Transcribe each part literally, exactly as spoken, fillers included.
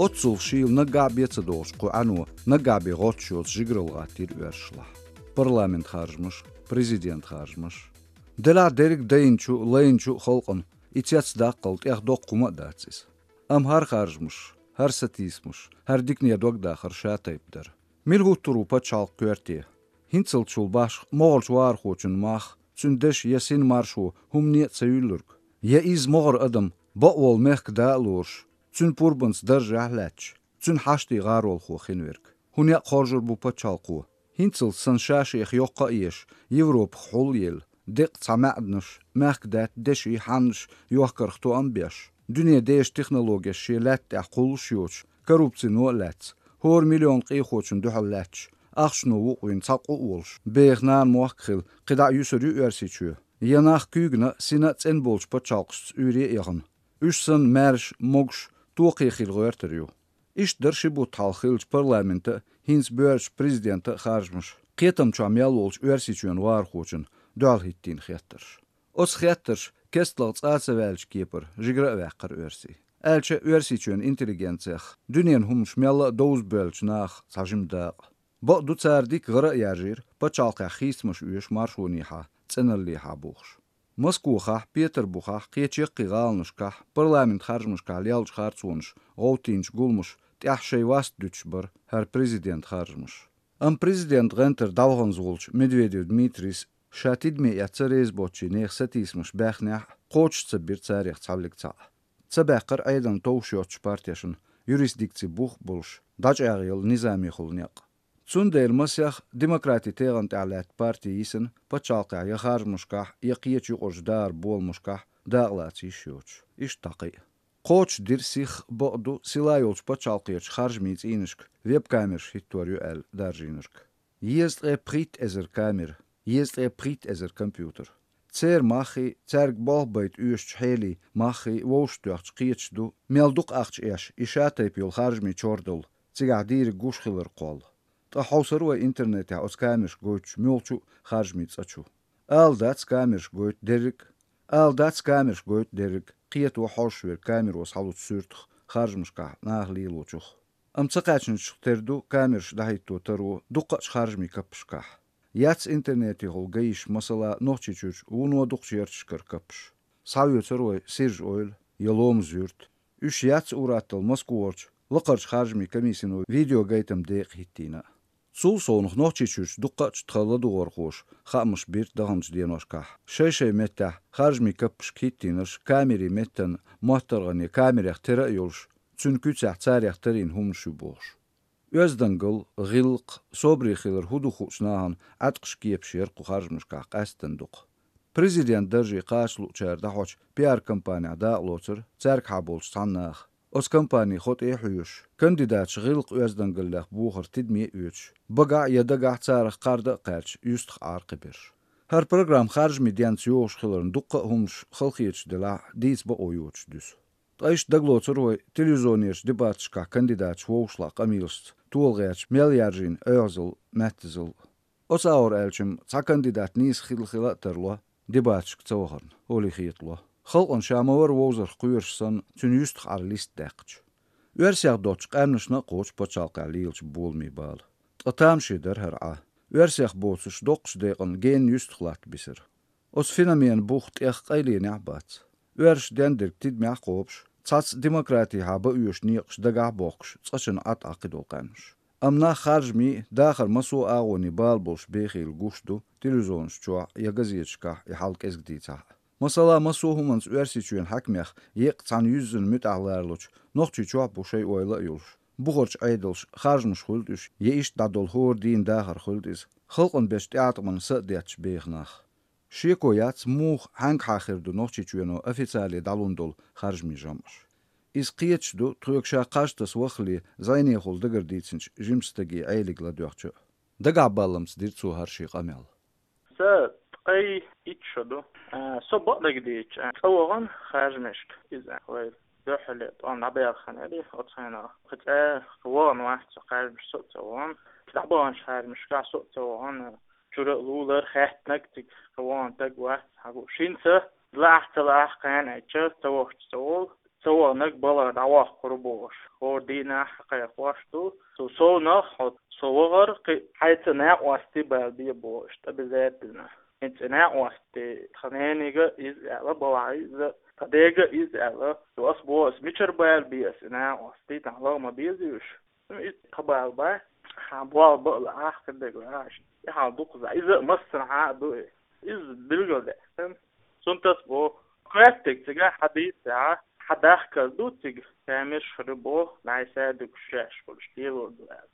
Оццул шийла наггахь бен ца догӀуш кху Ӏано, наггахь бен гӀотташ йоцу жигаралла гӀаттийра оьрсашлахь. Парламент харжамаш, президент харжамаш. Делахь дерриг дайначу, лайначу а халкъана и цецдаккхал тӀех доккха хӀума а дац иза. Амма хӀара харжамаш, хӀара сатийсамаш, хӀара дикане догдахар ша тайпа дара. Мила хӀуттур ву пачхьалкх коьрте? ХӀинццалц чул башха могӀарчу вахархочун мах, цуьнан дешан я син маршо хӀумане а ца юьллург, я иза могӀара адам бакъволу мехкан да а лоруш, цуьнан пурбанца даржехь а лаьтташ, цуьнан хьаштийн гӀаролхо хин верг. ХӀун некъ хоржур бу пачхьалкхо? ХӀинццалц санна ша-шех йоккха а еш, Европах хьулъелла, деккъа цхьа маьӀданаш, мехкадаьтта деши хьаннаш йохкарх тоам а беш, дуьне дезачу технологеш шен лаьтта тӀехь кхуллуш а йоцуш, коррупцино а лаьцна, хӀора миллион къехочун дуьхьал лаьтташ, ахчано вукъвина цхьа къу а волуш, беха нана мохк а хилла, кхидӀа а юьсур ю Оьрсийчоь? Я нах куьйгана а, сина а цӀена болчу пачхьалкхашца уьйре а яхана, уьш санна маьрша, могуш, токхе хила гӀоьртар ю? Иштта дара ши бутт хьалха хиллачу парламентан а, хӀинца боьршачу президентан а харжамаш, кхетам чохь мел волчу Оьрсийчоьнан вахархочунна дуьхьал хӀиттийна хеттарш. Оцу хеттарша кестлагӀа цӀа а ца ваьллачу кепара жигара а ваьккхира оьрсий. Аьлча, Оьрсийчоьнан интеллигенцех дуьненан хӀуманаш мелла а довза боьллачу нахах цхьа жима дакъа. Бакъду, цара дика гӀара а яржийра, пачхьалкхехь хийцамаш оьшу маршонехьа, цӀеналлехьа бохуш. Москохахь, Петарбухахь, кхечу яккхий гӀаланашкахь, парламент харжамашкахь леллачу харцонаша, гӀовттийначу гуламаша тӀехь шайн васт дуьтуш бара хӀара президент харжамаш. Амма президент гӀентара дӀаваханза волчу Медведев Дмитрийс ша тидаме эцна ца реза боцчийн нехан сатийсамаш баьхнехь а, кхочуш ца бира царех цхьаллиг цхьаъ. Ца баьккхира Ӏедална товш йоцчу партешна юрисдикци бух а болуш, дӀачӀагӀъелла низамехула некъ. Цундела масех демократи тегӀан тӀехь лаьтта парти йисина пачхьалкхехь я харжамашкахь, я кхечу юкъарчу дахаран боламашкахь дакъалаца йиш йоцуш. Иштта дӀа кхин а. Кхочуш дира сих а, бакъду, сила йолчу пачхьалкхерчу харжамийн цӀийнашка веб-камераш хӀиттор ю аьлла даржийнарг. Езткъе пхийтта эзар камера, езткъе пхийтта эзар компьютер. Церан маххий, цаьрга болх байта оьшучу хьелий маххий вовшахтоьхча кхеташ ду, мел дукха ахча эш и ша тайпа йолу харжамийн чордалла, цигахь дийриг гуш хилар кхолла. Ткъа хьовсур вай интернетехь оцу камерашка гойтучу муьлххачу а харжамийн цӀа чу? Ала дац камерашка гойту дерриг а. Ала дац камерашка гойту дерриг а, кхето хьожуш верг камеро схьалучу суьртах харжамашкахь наха лелочух. Амма ца кхаьчначух тера ду камераш дӀахӀитто таро дуккхачу харжамийн каппашкахь. Яц интернетехула гайиш, масала, Нохчийчуьрчу вуно дукхачу ярташкара каппаш. Схьавоьцур вай Сиржа-Эвла я Ломаз-Юрт. Уьш яц ур-атталла Москварчу лакхарчу харжамийн комиссино видеогайтам декъа хӀиттийна а. Цул совнах Нохчийчуьрчу дуккхачу тхан ладугӀархоша хаамаш бира даханчу деношкахь. Шай-шай меттехь харжамийн каппашка хӀиттийнарш камерийн меттан моттаргӀане камерех тера а йолуш, цуьнан куьцехь царех тарийна хӀуманаш ю бохуш. Оьздангалла, гӀиллакх, собаре хилар хӀун ду хуучу нахана Ӏаткъаш кепаш яра кху харжамашкахь къаьсттина дукха. Президент дарже кхача луучара дӀахьочу пиар-компанехь дакъалоцура цаьргахьа болчу цхьана наха. Оцу компанин хьо тӀе а хьоьжуш, кандидаташ гӀиллакх-оьздангаллех бохар тидаме а оьцуш, багахь а я дагахь а царах кхарда а кхаьрдаш, юьстах Ӏара кхиберш. ХӀара программа харжамийн денца йогӀуш хиларна дуккха а хӀуманаш халахеташ делахь а, дийца бакъо йоцуш дуьсу. Ткъа иштта дагалоцур вай телевизионерчу дебаташкахь кандидаташ вовшахтоьхна къамелашца тола гӀерташ мел яржийна оьгӀазалла, маьттазалла. Оцу агӀор аьлча-м, цхьа кандидат нийса хилла-хилла а тарло, дебаташка ца вахарна, олий хетало. Халкъана ша ма-варра вовзарх кхоьруш санна, цуьнан юьстах Ӏара листа даьккхича. Оьрсех доцчу къаьмнашна а кхочу пачхьалкхехь лелачу боламийн бала. Ткъа тамашийна дара хӀара Ӏа. Оьрсех боцурш доккхачу декъана генна юьстах латта бисира. Оцу феноменан бух тӀех къайленехь а бац. Оьрсаша дендерг тидамехь а кхобуш, цхьацца демократехьа бан оьшу некъаш дагахь а бохкуш, цкъачунна Ӏа тӀе кхидолу къаьмнаш. Амма нах харжамийн а, дахаран массо а агӀонийн бала болуш бехийла гуш ду телевизионаш чохь я газеташкахь и хьал кӀезиг дийцахь а. Масала, массо а хӀуманца Оьрсийчоьнан хьаькамех еккъа цхьана юьззина муьтӀахь ларалучу Нохчийчохь а бу шайн ойла а йолуш, бухарчу Ӏедалша харжамаш хуьлда уьш, я иштта дӀадолу хӀора дийнан дахар хуьлда иза, халкъана бечу тӀеӀаткъамна са а детташ беха нах. Шеко яц, муха, хьаьнгахьа хир ду Нохчийчоьно официале дӀалун долу харжамийн жамӀаш. Иза кхеташ ду, тхоьга ша кхаж таса ваххале зӀенехула дагардийцинчу жимачу стаге Ӏелига ладоьгӀча а. Дагахь балламца дира цо хӀара шен къамел. Сан ткъе итт шо ду. А, со бакъдерг дийцича, а, цӀа вахана харжамашка иза вай дуьххьарлера тӀом дӀабаьлла хан яра, оцу хенахь. Кхин цкъа вахана вац со харжамашка, со а ца вахана. ДӀабаханчу харжамашкахь со а ца вахана. Чура а лулара, хаьттинарг цига кхин вахана стаг вац хьагу. Шинца лаахь а ца лаахь а кхана аьлча, ца вахча ца волу. Со ваханарг балха дӀаваккхар бохуш, хӀора дийнахь кхайкхош ду. Со совнах, хьо со вахар кхин хьайца накъостий бала бе бохуш, тӀе беза а безна. ХӀинца и накъостий тхан нанига иза аьлла, балхахь иза, тхан дега иза аьлла. Со ас боху, ас мичара бала бе ас и накъостий, тхан лаха ма беза уьш. Ну, иза тхан бала бац, хьан болх бан а лаахь, хир дерг лаахь. И хьал дукхаза. Иза а массанхьа а ду и. Иза билгалдаьккхина. Цунна тас боху. Коьртаниг цига хьан дийцахь, хьан дахкар ду цига, камераш хир боху, нагахь санна дукха шаьш хуьлуш лелор ду аьлла.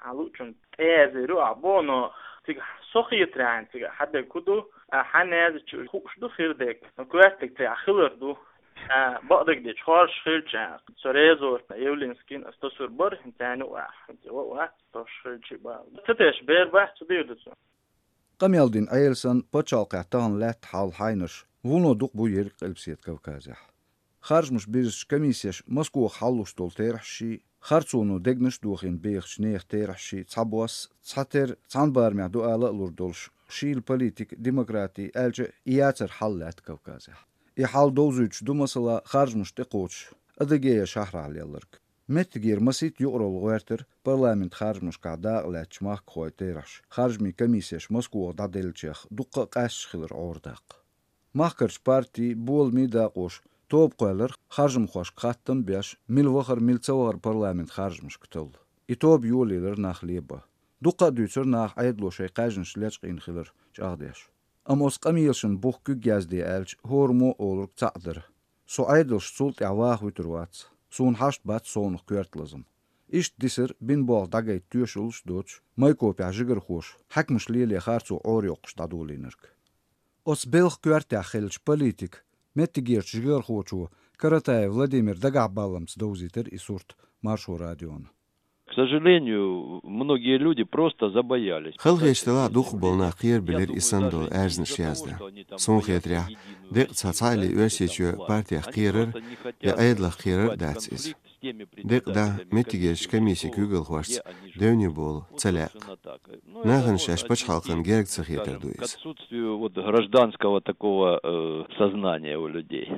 Хьан луучун тӀе язйийр ю ахь боху, но цига со хетарехь цига хьан дерг хӀун ду, а хьан язйича хууш ду хир дерг. Но коьртаниг цига хилар ду. А, бакъдерг дийцича, хоржуш хилча, со резорт Явлинскийна ас тасур бара, хӀинца царна юкъахь, хӀинца ваха вац, тосуш хилча а бала. Ца тешаш бер бац, ца дийр ду цо. Къамел дина Ӏела санна, пачхьалкхехь тахана лаьтта хьал хьайнарш вуно дукха бу ерриг Къилбаседа Кавказехь. Харжамаш бирзича комиссеша Москвахь хьалалуш долу терахьашший, харцоно дегнаш а дохийна бехачу нехан терахьашший цхьабосса, цхьатерра цхьана барамехь ду ала а лур долуш, шийла политика, демократи аьлча а, и яцар хьал лаьтта Кавказехь. И хьал довзуьйтуш ду, масала, харжамаш тӀекхочуш, Адыгея шахьарахь лелларг. Меттигера масийтта юкъаралла гӀоьртира парламентан харжамашкахь дакъа лаьцначу махкахойн терахьаш харжамийн комиссеша Москвахь дӀаделлачех дуккха а къаьсташ хилар гӀора даккха. Махкарчу партийн, боламийн дакъоша тоба кхоьллира харжамхошка хаттам а беш, мила вахара, мила ца вахара парламентан харжамашка талла. И тоба йолаелира нах лебан. Дуккха а дуьйцура наха Ӏедало шайн кхаьжнаш лечкъийна хилар чӀагӀдеш. Амма оцу къамелашна бух куьг язде аьлча, хӀораммо а олург цхьаъ дара: «Со Ӏедалша цул тӀаьхьа ваха вуьтур вац. Суна хьашт бац совнаха коьрта лазам». Иштта дисира бина болх дӀагайта тоьшаллаш а доцуш, Майкопехь жигархоша хьаькамаш лело харцо Ӏорайоккхуш дӀадолийнарг. Оцу белхан коьртехь хиллачу политикан, меттигерчу жигархочо Каратаев Владимиран дагахь балламца довзийтира и сурт Маршо радиона. К сожалению, многие люди просто забоялись. Халахеташ делахь, дукхахболу нах кхерабелира и санна долу аьрзнаш яздан. Суна хетарехь, декъа цхьа цхьаалле Оьрсийчоь партех кхерар я Ӏедалх кхерар а дац иза. Декъа дӀа меттигерчу комиссин куьйгалхошца девне болу ца лаьа. Нахана шаьш пачхьалкхана герга ца хетар ду иза. К отсутствию вот гражданского такого, э, сознания у людей.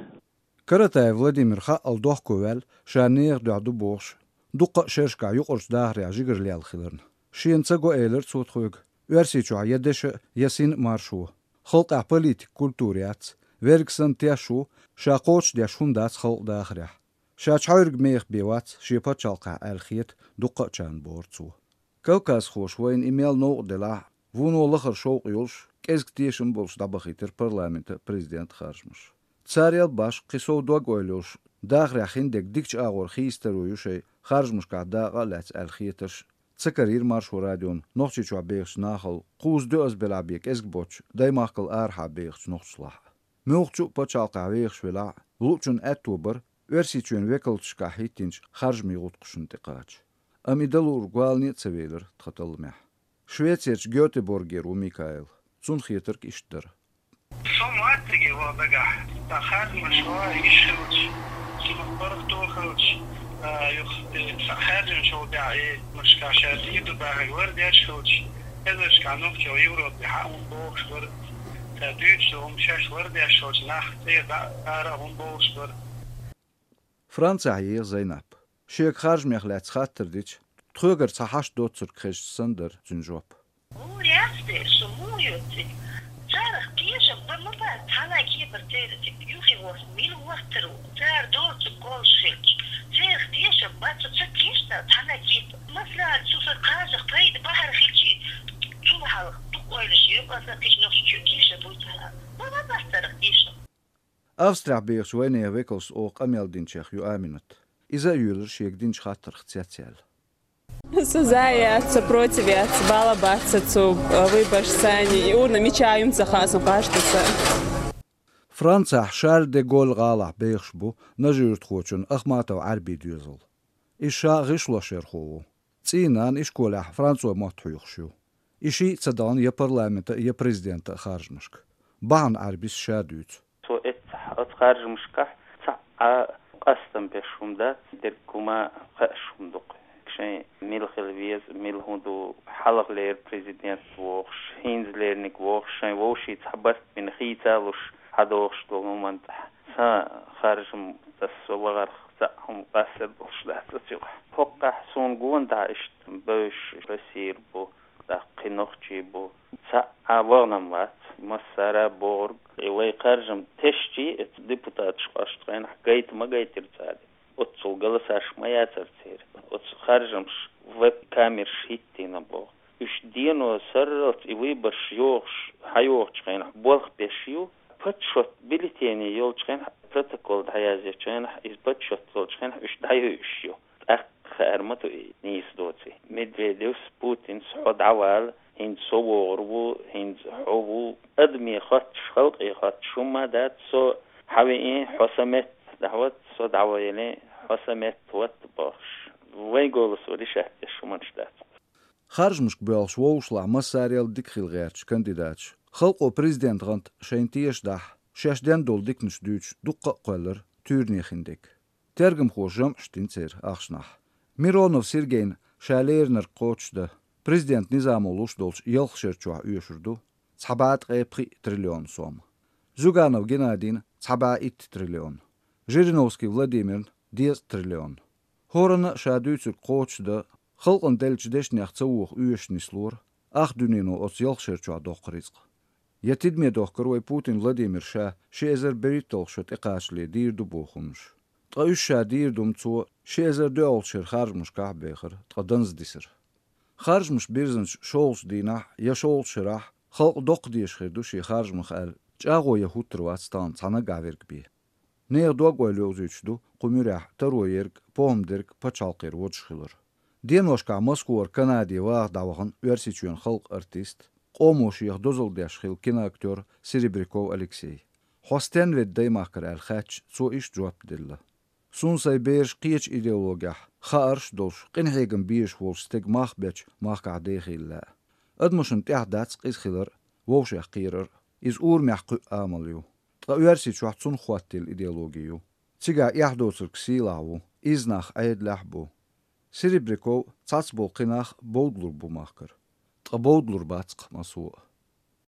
Каратаев Владимир хаъал дохко ваьлла, ша нехан дуьхьа ду бохуш, дуккха а шерашкахь юкъарчу дахарехь жигара лелла хиларна. Шена ца го, элира цо тхоьга, Оьрсийчохь я дешан а, я синан а маршо. Халкъехь политикан культура яц, верг санна теш ву, ша кхочушдеш хӀума дац халкъан дахарехь. Ша чхьаьрга меха бен вац шен пачхьалкхехь аьлла хета дуккхаъчарна, бохура цо. Кавказхоша вайна и мел новкъа делахь а, вуно лахара шовкъ йолуш, кӀезиг тешам болуш дӀабахийтира парламентан а, президентан а харжамаш. Царал башха кхин сов дог-ойла йолуш, дахарехь хиндерг дикачу агӀор хийцадаро ю шайн харжамашкахь дакъа а лаьцна аьлла хетарш ца карийра Маршо радиона Нохчийчохь бехачу нахал кхузза-доьазза белахь бен кӀезиг боцчу даймахкал арахьа бехачу нохчашлахь а. Муьлххачу а пачхьалкхехь вехаш велахь а, луучун аьтто бара Оьрсийчоьнан векалаташкахь хӀиттийначу харжамийн гӀутакхашна тӀекхача. Амма и дан луург валане а ца велира тхан талламехь. Швецерчу Гётеборгера ву Микаэл. Цунна хетарг иштта дара. Со моттиге ваха дагахь, сан харжамаш ваха йиш хилча, цунах паргӀато хилча, а, юха, э, сан харжамаш ваха бехь, э, машка ша дийр ду бахарг лардеш хилча, эзаршкахь нохчо Европе хьан хӀун бохуш бара, сан дуьйцуш долу хӀума шаьш лардеш хилча, нах цӀера дӀа ара хӀун бохуш бара. Францехь еха Зайнап. Шега харжамех лаьцна хаттар дича, тхоьгара цхьа хьашт доцург хезча санна дара цуьнан жоп. Гур яц дера, со муха йоцци? Царах тешам бан ма бац, цхьана а кепара церан тӀе юххе ворхӀ мила ваттар ву. Цара доцург кхоллуш хилча, церах тешам бан со ца тешна цхьана а кепара. Масала, цу сан кхачах пайда бахьар хилчи, цул хьалха дукха ойлаш ю, аса кхечу нохчочун тешам буй царах. Ма ма бац царах тешам. Австрехь бехачу вайнехан векалшца оха къамел динчех ю Аминат. Иза а йоьлура шега динчу хаттарх цецъяьлла. Со за яц, со против яц, бала бац сан цу, э, выборш санна, и урна мича ю-м ца хаьа сан къаьстта сан. Францехь Шарль де Голль гӀалахь бехаш бу нажи-юьртахочун Ахматов Ӏаьрбин доьзал. Иза ша гӀишлошъярхо ву. ЦӀийнан ишколехь францойн мотт хьоьхуш ю. И шиъ а ца дахана я парламентан а, я президентан а харжамашка. Бахьана Ӏаьрбис ша дуьйцу. Цо эццахь оцу харжамашкахь цхьа а къастам беш хӀума дац, дерг хӀума кхаьаш хӀума ду-кх. Шайн мила хила веза, мила хӀун ду, хьалхалера президент вохуш, хӀинцалерниг вохуш, шайн вовшийн цхьа барт бина хийца а луш, хьадохуш долу хӀуманна тӀехь сан харжам Ас со вахарх цхьа хӀума къаьстта болуш дац аса юкъахь. ХӀокхахь суна гонахь иштта бевзаш Россера бу, тӀаккха кхин нохчий бу. Цхьа а вахана вац, массара а бохург, и вай харжам тешчий, эца депутаташ къаьстта хенахь гайта ма гайтира цара. Оццул голосаш ма яцара церан. Оцу харжамаш веб-камераш хӀиттийна боху. Уьш дено сарралц и выбораш йохуш, хьайохучу хенахь болх беш ю, подсчёт бюллетеней йолчу хенахь, протокол дӀаяздечу хенахь, иза подсчёт йолчу хенахь уьш дӀайойуш ю. ТӀаккха хаьара ма ду и нийса доций. Медведевс, Путинс: «Хьо дӀавала, хӀинца со вогӀур ву, хӀинца хьо ву». Адаме хоттуш, халкъе хоттуш хӀумма дац, со хьан веъна, хьо сан метта дӀахӀотта, со дӀаваелла, хьо сан метта хӀотта бохуш. Вайн голос ван решать деш хӀуманаш дац. Харжамашка боьлхуш вовшашлахь массарел дика хила гӀерташ кандидаташ, халкъо президент гӀант шайна тешадахь, шаьш ден долу диканаш дуьйцуш дуккха а кхоьллира туьйране хин дерг. Тергамхоша жамӀаш дина церан ахчанах. Миронов Сергейна ша леринарг кхочушдан, президент низамо луш долчу ялх шера чохь оьшур ду цхьа бӀе ткъе пхиъ триллион сом. Зюганов Геннадийна цхьа бӀе итт триллион. Жириновский Владимирна дезткъа триллион. ХӀоранна а ша дуьйцург кхочушдан, халкъана деллачу дешнех ца воха оьшуш нислора, ах дуьнено оцу ялх шера чохь доккху рицкъ. Я тидаме дохкура вай Путин Владимира ша ши эзар берхӀитталгӀа шо тӀекхачале дийр ду боху хӀуманаш. Ткъа уьш ша дийр ду-м цо ши эзар доьалгӀачу шеран харжамашкахь а бехира, ткъа данза дисира. Харжамаш бирзинчу шолгӀачу дийнахь я шолгӀачу шарахь халкъ доккха дезаш хир ду шен харжамах аьлла, чӀагӀо ян хӀуттур вац тахана цхьа наггахь верг бен. Нехан дог-ойла йовзуьйтуш ду кху муьрехь таро ерг, похӀма дерг пачхьалкхера водуш хилар. Деношкахь Москвара Канаде ваха дӀавахана Оьрсийчоьнан халкъан артист, къомо шех дозалла деш хилла киноактёр Серебряков Алексей. «Хьо стенна ведда Даймахкара?» аьлла хаьттича, цо иштта жоп делла: «Суна сайн бераш кхечу идеологехь, хаарш а долуш, къинхьегам безаш волчу стеган мах бечу махкахь дехийла лаьа. Адамашна тӀехь дац къиза хилар а, вовшех кхерар а. Иза урамехь кхуьу амал ю. Ткъа Оьрсийчохь цунах хӀоттийла идеологи ю. Цигахь эхь доцург сийлахь ву, изза нах Ӏедалехь а бу. Серебряков цхьацболу кхин нах бовдалур бу махкара. Ткъа бовдалур бац-кх массо а.